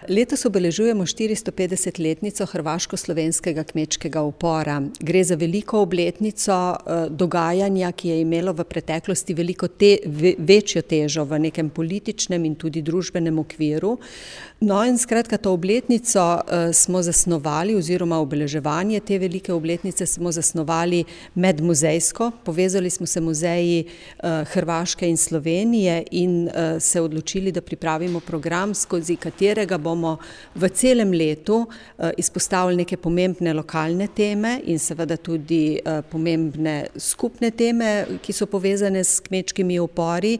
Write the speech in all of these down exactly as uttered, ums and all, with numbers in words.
Letos obeležujemo štiristopedesetletnico hrvaško-slovenskega kmečkega upora. Gre za veliko obletnico dogajanja, ki je imelo v preteklosti veliko te, večjo težo v nekem političnem in tudi družbenem okviru. No in skratka, to obletnico smo zasnovali oziroma obeleževanje te velike obletnice smo zasnovali medmuzejsko. Povezali smo se muzeji Hrvaške in Slovenije in se odločili, da pripravimo program, skozi katerega bomo v celem letu izpostavili neke pomembne lokalne teme in seveda tudi pomembne skupne teme, ki so povezane s kmečkimi upori.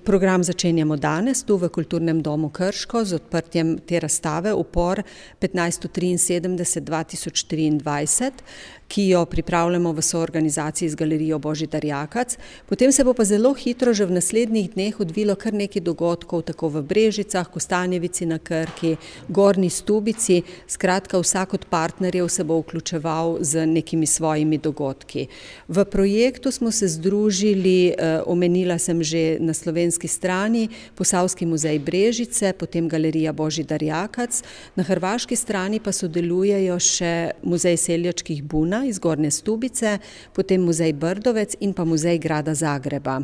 Program začenjamo danes tu v Kulturnem domu Krško z odprtjem te razstave Upor petnajststo triinsedemdeset do dva tisoč triindvajset, ki jo pripravljamo v soorganizaciji z Galerijo Božidar Jakac. Potem se bo pa zelo hitro že v naslednjih dneh odvilo kar nekaj dogodkov, tako v Brežicah, Kostanjevici na Krki, Gornji Stubici. Skratka, vsak od partnerjev se bo vključeval z nekimi svojimi dogodki. V projektu smo se združili, omenila sem že na slovenski strani, Posavski muzej Brežice, potem Galerija Božidar Jakac, na hrvaški strani pa sodelujejo še Muzej seljačkih buna iz Gornje Stubice, potem Muzej Brdovec in pa Muzej grada Zagreba.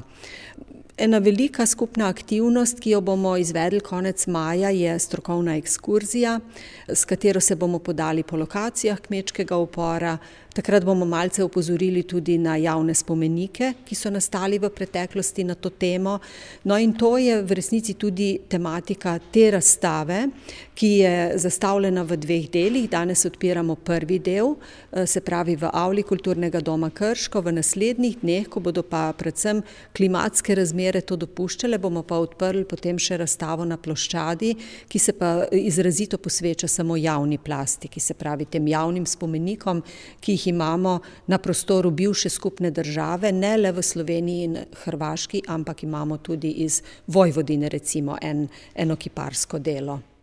Ena velika skupna aktivnost, ki jo bomo izvedli konec maja, je strokovna ekskurzija, s katero se bomo podali po lokacijah kmečkega upora. Takrat bomo malce opozorili tudi na javne spomenike, ki so nastali v preteklosti na to temo. No in to je v resnici tudi tematika te razstave, ki je zastavljena v dveh delih. Danes odpiramo prvi del, se pravi v avli Kulturnega doma Krško. V naslednjih dneh, ko bodo pa predvsem klimatske razmere to dopuščale, bomo pa odprli potem še razstavo na ploščadi, ki se pa izrazito posveča samo javni plastiki, se pravi tem javnim spomenikom, ki jih imamo na prostoru bivše skupne države, ne le v Sloveniji in Hrvaški, ampak imamo tudi iz Vojvodine recimo en, eno kiparsko delo.